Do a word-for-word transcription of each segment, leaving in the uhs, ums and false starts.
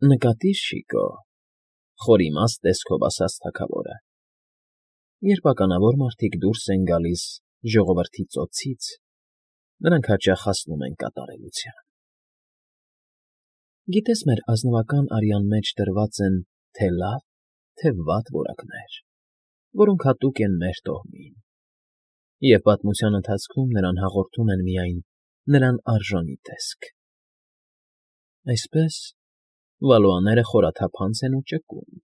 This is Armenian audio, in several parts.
Նկատի՛ր, Շիկո,֊ խորիմաստ տեսքով ասաց թագավորը, երբ ականավոր մարդիկ դուրս են գալիս ժողովրդի ծոցից, նրանք հաճախ հասնում են կատարելության… Գիտես, մեր ազնվական արյան մեջ դրված են թե՛ լավ, թե՛ վատ որակներ, որոնք հատուկ են մեր տոհմին, և պատմության ընթացքում նրան հաղորդում են միայն նրան արժանի տեսք… Այսպես, Վալուաները խորաթափանց են ու ճկուն,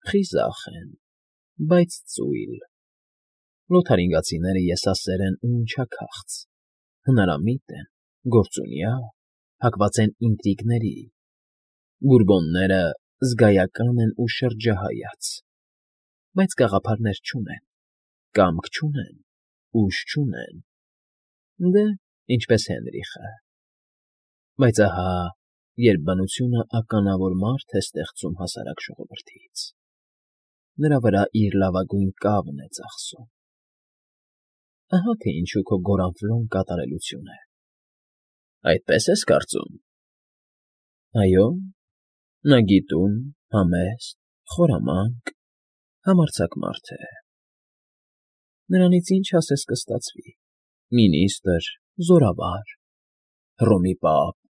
խիզախ են, բայց ծույլ, Լոթարինգացիները եսասեր են ու ընչաքաղց, հնարամիտ են, գործունյա, հակված են ինտրիգների, Բուրբոնները զգայական են ու շրջահայաց, բայց գաղափարներ չունեն, կամք չունեն, ուժ չունեն, դե, ինչպես Հենրիխը… Բայց ահա, երբ բնությունը ականավոր մարդ է ստեղծում հասարակ ժողովրդից, նրա վրա իր լավագույն կավն է ծախսում… Ահա թե ինչու քո Գորանֆլոն կատարելություն է… Այդպե՞ս ես կարծում… Այո, նա գիտուն, համեստ, խորամանկ, համարձակ մարդ է… Նրանից ինչ ասես կստացվի… Մինիստր, զորավար, Հռոմի պապ… ֊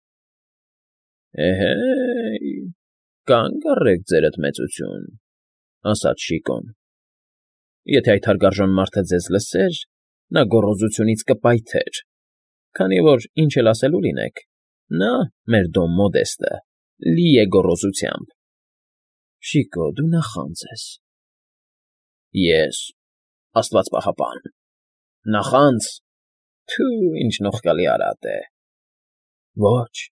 Էհե՜յ, կանգ առեք, ձերդ մեծություն,֊ ասաց Շիկոն,֊ եթե այդ հարգարժան մարդը ձեզ լսեր, նա գոռոզությունից կպայթեր, քանի որ, ինչ էլ ասելու լինեք, նա, մեր Դոն Մոդեստը, լի է գոռոզությամբ… ֊ Շիկո, դու նախանձ ես… ֊ Ե՞ս, աստված պահապան… նախանձ… Թյու, ինչ նողկալի արատ է… ֊ Ոչ,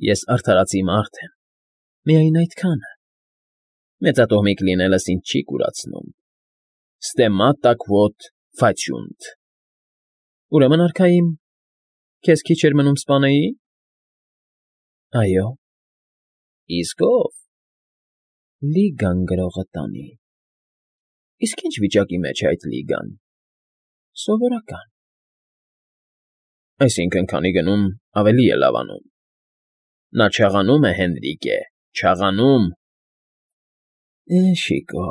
ես արդարացի մարդ եմ, միայն այդքանը… Մեծատոհմիկ լինելս ինձ չի կուրացնում… Ստեմատա քվոտ ֆացիունտ… Ուրեմն, արքայիմ, քեզ քիչ էր մնում սպանեի՞… ֊ Այո… ֊ Իսկ ո՞վ… ֊ Լիգան գրողը տանի… ֊ Իսկ ի՞նչ վիճակի մեջ է այդ Լիգան… ֊ Սովորական… ֊ Այսինքն՝ քանի գնում, ավելի է լավանում… Նա չաղանում է, Հենրիկե, չաղանում… ֊ Է, Շիկո…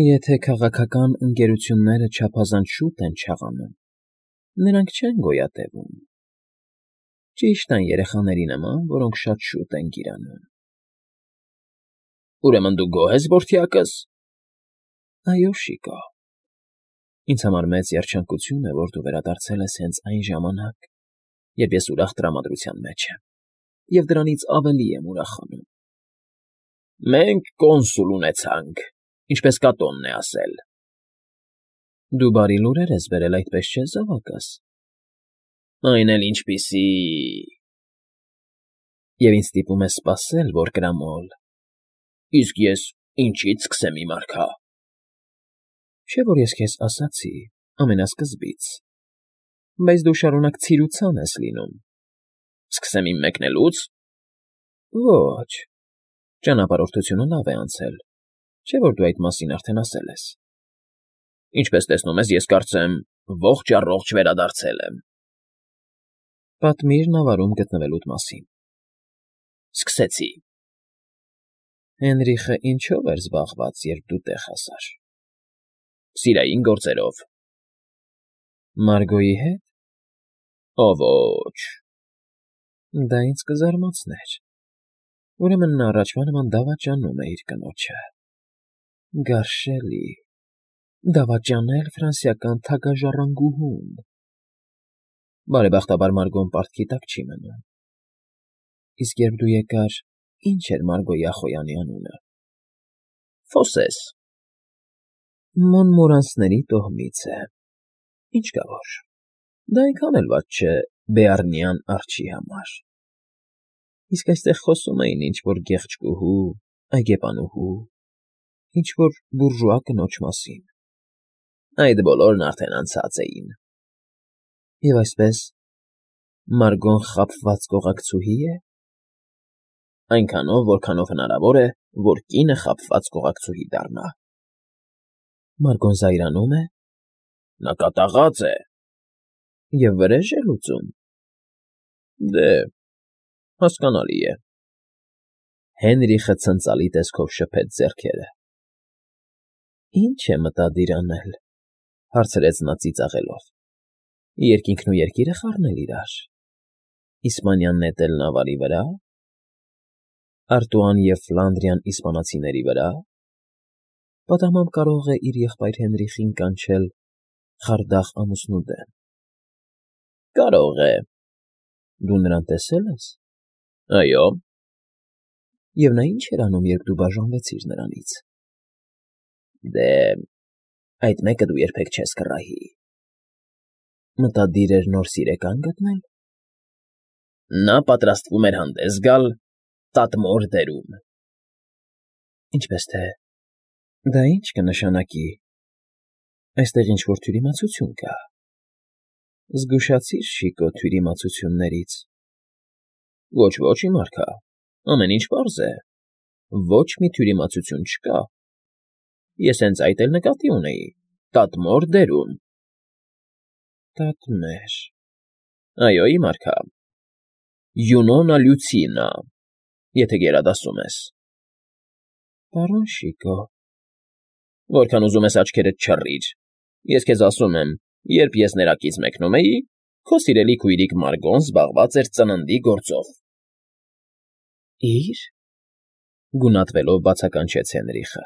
Եթե քաղաքական ընկերությունները չափազանց շուտ են չաղանում, նրանք չեն գոյատևում… Ճիշտ այն երեխաների նման, որոնք շատ շուտ են գիրանում… ֊ Ուրեմն դու գոհ ես որդյակս… ֊ Այո, Շիկո… Ինձ համար մեծ երջանկություն է, որ դու վերադարձել ես հենց այն ժամանակ, երբ ես ուրախ տրամադրության մեջ եմ, և դրանից ավելի եմ ուրախանում… ֊ Մենք կոնսուլ ունեցանք, ինչպես Կատոնն է ասել… ֊ Դու բարի լուրեր ես բերել, այդպես չէ՞, զավակս… ֊ Այն էլ ինչպիսի… ֊ Եվ ինձ ստիպում ես սպասել, որկրամոլ… ֊ Իսկ ես ինչի՞ց սկսեմ, իմ արքա… ֊ Չէ՞ որ ես քեզ ասացի ամենասկզբից… Բայց դու շարունակ ցիրուցան ես լինում… ֊ Սկսեմ իմ մեկնելո՞ւց… ֊ Ոչ… Ճանապարհորդությունը լավ է անցել, չէ՞ որ դու այդ մասին արդեն ասել ես… ֊ Ինչպես տեսնում ես, ես կարծեմ ողջ֊առողջ վերադարձել եմ… ֊ Պատմիր նավարում գտնվելուդ մասին… ֊ Սկսեցի… Հենրիխը ինչո՞վ էր զբաղված, երբ դու տեղ հասար… ֊ Սիրային գործերով… ֊ Մարգոյի հետ… ֊ Ո… ոչ… ֊ Դա ինձ կզարմացներ… Ուրեմն նա առաջվա նման դավաճանում է իր կնոջը… Գարշ֊շ֊շելի… Դավաճանել ֆրանսիական թագաժառանգուհուն… Բարեբախտաբար Մարգոն պարտքի տակ չի մնում… Իսկ երբ դու եկար, ի՞նչ էր Մարգոյի ախոյանի անունը… ֊ Ֆոսես… ֊ Մոնմորանսների տոհմից է… Ինչ կա որ… Դա այնքան էլ վատ չէ Բեառնյան արջի համար… Իսկ այստեղ խոսում էին ինչ֊որ գեղեցկուհու, այգեպանուհու, ինչ֊որ բուրժուա կնոջ մասին… Այդ բոլորն արդեն անցած էին… ֊ Եվ այսպես, Մարգոն խաբված կողակցուհի՞ է… ֊ Այնքանով, որքանով հնարավոր է, որ կինը խաբված կողակցուհի դառնա… ֊ Մարգոն զայրանում է… ֊ Նա կատաղած է… ֊ Եվ վրեժ է լուծում… ֊ Դե, հասկանալի է… Հենրիխը ցնծալի տեսքով շփեց ձեռքերը։ ֊ Ի՞նչ է մտադիր անել,֊ հարցրեց նա ծիծաղելով։ ֊ Երկինքն ու երկիրը խառնել իրար, իսպանյան նետել նավարի վրա, Արտուան և Ֆլանդրիան իսպանացիների վրա, պատահմամբ կարող է իր եղբայր Հենրիխին կանչել խարդախ ամուսնու դեմ։ ֊ Կարող է։ Դու նրան տեսե՞լ ես։ ֊ Այո։ ֊ Եվ նա ի՞նչ էր անում, երբ դու բաժանվեցիր նրանից։ ֊ Դե, այդ մեկը դու երբեք չես կռահի։ ֊ Մտադիր էր նոր սիրեկա՞ն գտնել։ ֊ Նա պատրաստվում էր հանդես գալ Տատմոր դերում։ ֊ Ինչպես թե, դա ի՞նչ կնշանակի։ Այստեղ ինչ֊որ թյուրիմացություն կա։ Զգուշացիր, Շիկո, թյուրիմացություններից։ ֊ Ոչ, ոչ, իմ արքա, ամեն ինչ պարզ է, ոչ մի թյուրիմացություն չկա։ Ես հենց այդ էլ նկատի ունեի՝ Տատմոր դերում։ ֊ Տատմեր… Այո, իմ արքա, Յունոնա Լյուցինա, եթե գերադասում ես։ ֊ Պարոն Շիկո… Որքան ուզում ես աչքերդ չռիր, ես քեզ ասում եմ, երբ ես ներակից մեկնում էի, քո սիրելի քույրիկ Մարգոն զբաղված էր ծննդի գործով։ ֊ Իր… Գունատվելով բացականչեց Հենրիխը։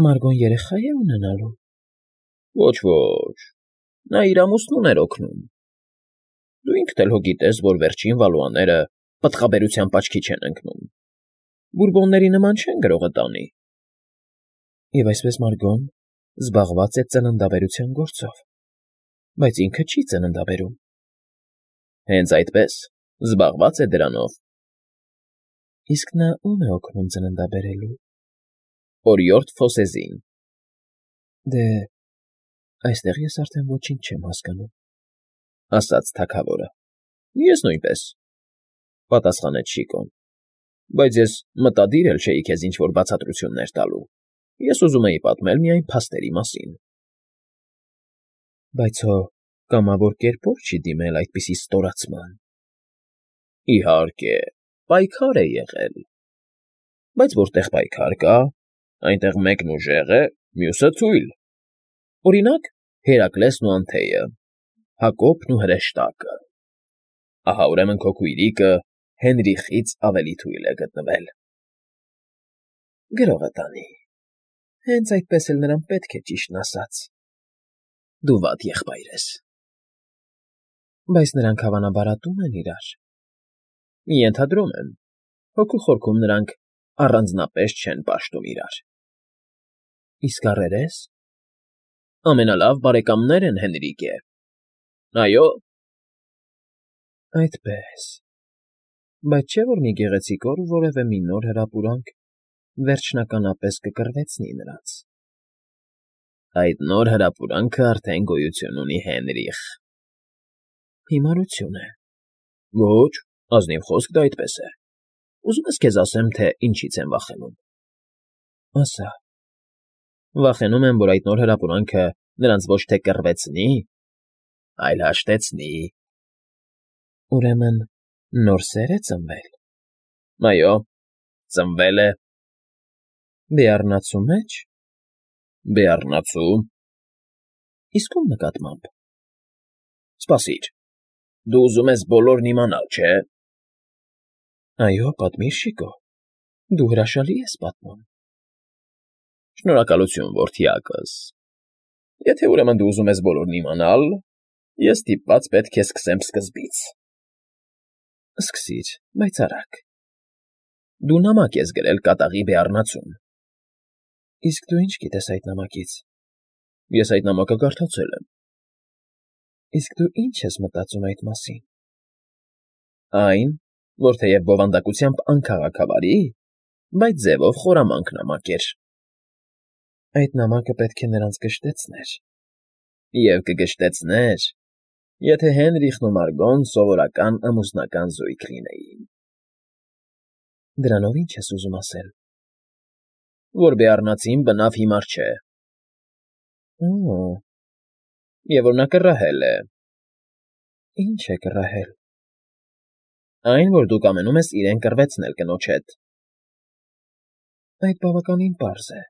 Մարգոն երեխա է ունենալու։ ֊ Ոչ, ոչ, նա իր ամուսնուն էր օգնում։ Դու ինքդ էլ հո գիտես, որ վերջին Վալուաները պտղաբերությամբ աչքի չեն ընկնում, Բուրբոնների նման չեն գրողը տանի։ ֊ Եվ այսպես Մարգոն զբաղված է ծննդաբերության գործով, բայց ինքը չի ծննդաբերում։ ֊ Հենց այդպես, զբաղված է դրանով։ ֊ Իսկ նա ո՞ւմ է օգնում ծննդաբերելու։ ֊ Օրիորդ Ֆոսեզին։ ֊ Դե, այստեղ ես արդեն ոչինչ չեմ հասկանում,֊ ասաց թագավորը։ ֊ Ես նույնպես,֊ պատասխանեց Շիկոն,֊ բայց ես մտադիր էլ չէի քեզ ինչ֊որ բացատրություններ տալու, ես ուզում էի պատմել միայն փաստերի մասին։ ֊ Բայց հո կամավոր կերպով չի դիմել այդպիսի ստորացման։ ֊ Իհարկե, պայքար է եղել։ ֊ Բայց որտեղ պայքար կա, այնտեղ մեկն ուժեղ է, մյուսը թույլ։ Օրինակ, Հերակլեսն ու Անթեյը, Հակոբն ու հրեշտակը։ Ահա, ուրեմն, քո քույրիկը Հենրիխից ավելի թույլ է գտնվել։ ֊ Գրողը տանի, հենց այդպես էլ նրան պետք է ճիշտն ասած։ ֊ Դու վատ եղբայր ես։ ֊ Բայց նրանք հավանաբար ատում են իրար։ ֊ Ենթադրում եմ, հոգու խորքում նրանք առանձնապես չեն պաշտում իրար։ ֊ Իսկ առերես։ ֊ Ամենալավ բարեկամներ են, Հենրիկե։ ֊ Այո։ ֊ Այդպես… Բայց չէ՞ որ մի գեղեցիկ օր որևէ մի նոր հրապուրանք վերջնականապես կկռվեցնի նրանց։ ֊ Այդ նոր հրապուրանքը արդեն գոյություն ունի, Հենրիխ։ ֊ Հիմարություն է։ ֊ Ոչ, ազնիվ խոսք, դա այդպես է։ Ուզում ես քեզ ասեմ, թե ինչից եմ վախենում։ ֊ Ասա։ ֊ Վախենում եմ, որ այդ նոր հրապուրանքը նրանց ոչ թե կռվեցնի, այլ հաշտեցնի։ ֊ Ուրեմն նոր սե՞ր է ծնվել։ ֊ Այո, ծնվել է։ ֊ Բեառնացու մե՞ջ։ ֊ Բեառնացու։ ֊ Իսկ ո՞ւմ նկատմամբ։ ֊ Սպասիր, դու ուզում ես բոլորն իմանալ, չէ՞։ ֊ Այո, պատմիր, Շիկո, դու հրաշալի ես պատմում։ ֊ Շնորհակալություն, որդյակս։ Եթե, ուրեմն, դու ուզում ես բոլորն իմանալ, ես ստիպված պետք է սկսեմ սկզբից։ ֊ Սկսիր, բայց արագ։ ֊ Դու նամակ ես գրել կատաղի բեառնացուն։ ֊ Իսկ դու ի՞նչ գիտես այդ նամակից։ ֊ Ես այդ նամակը կարդացել եմ։ ֊ Իսկ դու ի՞նչ ես մտածում այդ մասին։ ֊ Այն, որ թեև բովանդակությամբ անքաղաքավարի, բայց ձևով խորամանկ նամակ էր։ ֊ Այդ նամակը պետք է նրանց գժտեցներ։ ֊ Եվ կգժտեցներ, եթե Հենրիխն ու Մարգոն սովորական ամուսնական զույգ լինեին։ ֊ Դրանով ի՞նչ ես ուզում ասել։ ֊ Որ բեառնացին բնավ հիմար չէ։ ֊ Օ՜։ ֊ Եվ որ նա կռահել է։ ֊ Ի՞նչ է կռահել։ ֊ Այն, որ դու կամենում ես իրեն կռվեցնել կնոջ հետ, Այդ բավականին պարզ է։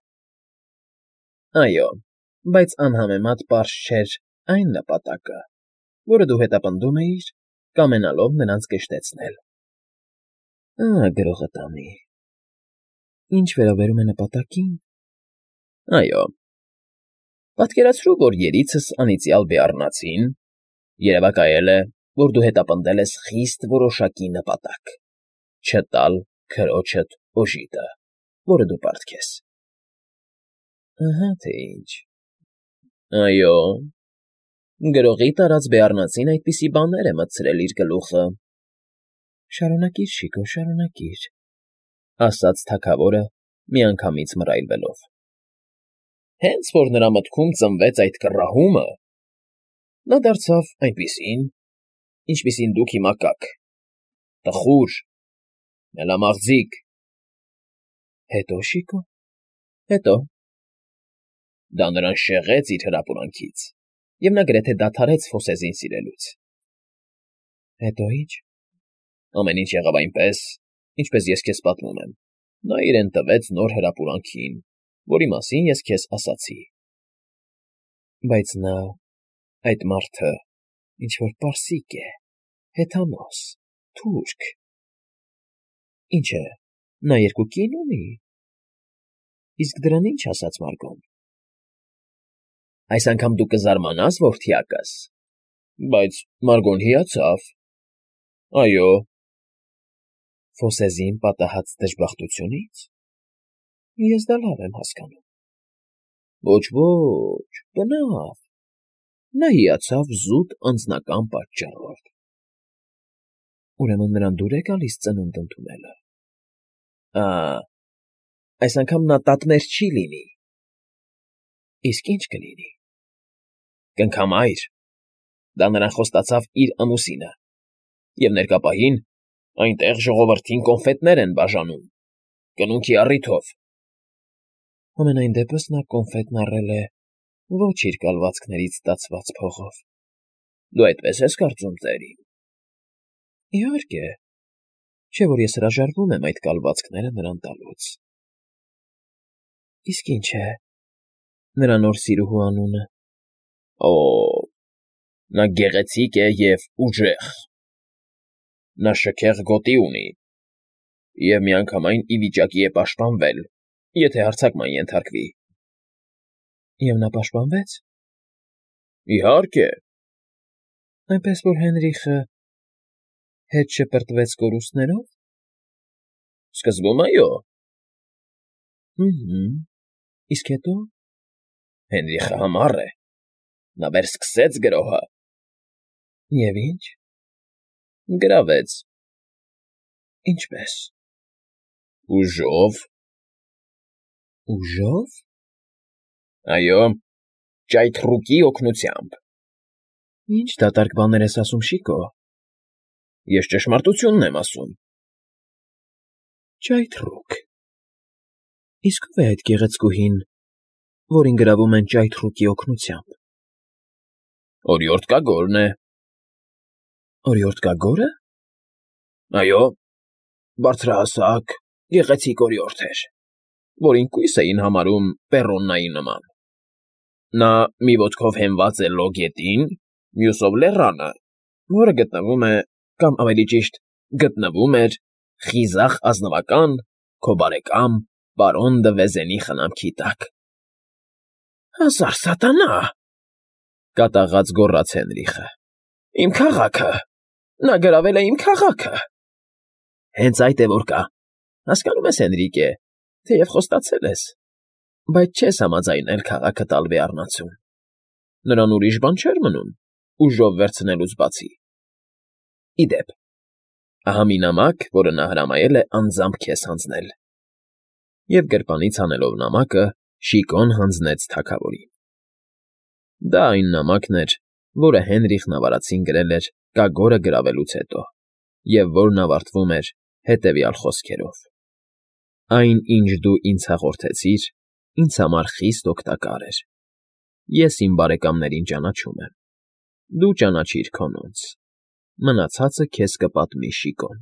Այո, բայց անհամեմատ պարզ չէր այն նպատակը, որը դու հետապնդում էիր, կամենալով նրանց կշտեցնել։ Ահա գրողը տանի։ Ինչ վերաբերում է նպատակին… Այո, պատկերացրու, որ երիցս անիծյալ բեառնացին, երևակայել է, որ դու հետապնդել ես խիստ որոշակի նպատակ՝ չտալ քրոջդ օժիտը, որը դու պարտք ես։ Ահա թե ինչ… Այո, գրողի տարած բեառնացին այդպիսի բաներ է մտցրել իր գլուխը։ Շարունակիր, Շիգո, շարունակիր,֊ ասաց թագավորը, միանգամից մռայլվելով։ Հենց որ նրա մտքում ծնվեց այդ կռահումը, նա դարձավ այնպիսին, ինչպիսին դուք հիմա կաք, տխուր, մելամաղձիկ։ Հետո՞, Շիգո, հետո… Դա նրան շեղեց իր հրապուրանքից, և նա գրեթե դադարեց Ֆոսեզին սիրելուց։ Հետո ի՞նչ… Ամեն ինչ եղավ այնպես, ինչպես ես քեզ պատմում եմ. նա իրեն տվեց նոր հրապուրանքին, որի մասին ես քեզ ասացի։ Բայց նա, այդ մարդը, ինչ֊որ պարսիկ է, հեթանոս, թուրք… Ինչ է, նա երկու կին ունի… Իսկ դրան ի՞նչ ասաց Մարգոն… Այս անգամ դու կզարմանաս, որդյակս, բայց Մարգոն հիացավ… Այո… Ֆոսեզին պատահած դժբախտությունի՞ց… Ես դա լավ եմ հասկանում… Ոչ, ոչ, բնավ… Նա հիացավ զուտ անձնական պատճառով… Ուրեմն նրան դուր է գալիս ծնունդ ընդունելը… Ա՜, այս անգամ նա տատմեր չի լինի… Իսկ ի՞նչ կլինի… Կնքամայր… Դա նրան խոստացավ իր ամուսինը… Եվ ներկա պահին այնտեղ ժողովրդին կոնֆետներ են բաժանում… Կնունքի առիթով… Համենայն դեպս նա կոնֆետն առել է ոչ իր կալվածքներից ստացված փողով… Դու այդպես ես կարծում, ծերին… Իհարկե, չէ՞ որ ես հրաժարվում եմ այդ կալվածքները նրան տալուց… Իսկ ի՞նչ է նրա նոր սիրուհու անունը… Օ՜, նա գեղեցիկ է և ուժեղ… Նա շքեղ գոտի ունի և միանգամայն ի վիճակի է պաշտպանվել, եթե հարձակման ենթարկվի… Եվ նա պաշտպանվեց… Իհարկե… Այնպես որ Հենրիխը հետ շպրտվեց կորուստներո՞վ… Սկզբում, այո… Հըմ֊հըմ, իսկ հետո… Հենրիխը համառ է… Նա վերսկսեց գրոհը… Եվ ի՞նչ… Գրավեց… Ինչպե՞ս… Ուժով… Ուժո՞վ… Այո, ճայթռուկի օգնությամբ… Ի՞նչ դատարկ բաներ ես ասում, Շիգո… Ես ճշմարտությունն եմ ասում… Ճայթռուկ… Իսկ ո՞վ է այդ գեղեցկուհին, որին գրավում են ճայթռուկի օգնությամբ… Օրիորդկագորն է… Օրիորդկագո՞րը… Այո, բարձրահասակ, գեղեցիկ օրիորդ էր, որին կույս էին համարում Պեռոննայի նման… Նա մի ոտքով հենված է Լո գետին, մյուսով լեռանը, որը գտնվում է, կամ ավելի ճիշտ, գտնվում էր խիզախ ազնվական, քո բարեկամ պարոն դը Վեզենի խնամքի տակ… Հազար սատանա՜… Կատաղած գոռաց Հենրիխը… Իմ քաղաքը… Նա գրավել է իմ քաղաքը… Հենց այդ է որ կա… Հասկանում ես, Հենրիկե, թեև խոստացել ես, բայց չես համաձայնել քաղաքը տալ բեառնացուն… Նրան ուրիշ բան չէր մնում, ուժով վերցնելուց բացի… Ի դեպ, ահա մի նամակ, որը նա հրամայել է անձամբ քեզ հանձնել… Եվ գրպանից հանելով նամակը, Շիգոն հանձնեց թագավորին… Դա այն նամակն էր, որը Հենրիխն ավարածին գրել էր կագորը գրավելուց հետո, և որն ավարտվում էր հետևյալ խոսքերով. Այն, ինչ դու ինձ հաղորդեցիր, ինձ համար խիստ օգտակար էր… Ես իմ բարեկամներին ճանաչում եմ… Դու ճանաչիր քոնոնց… Մնացածը քեզ կպատմի Շիգոն…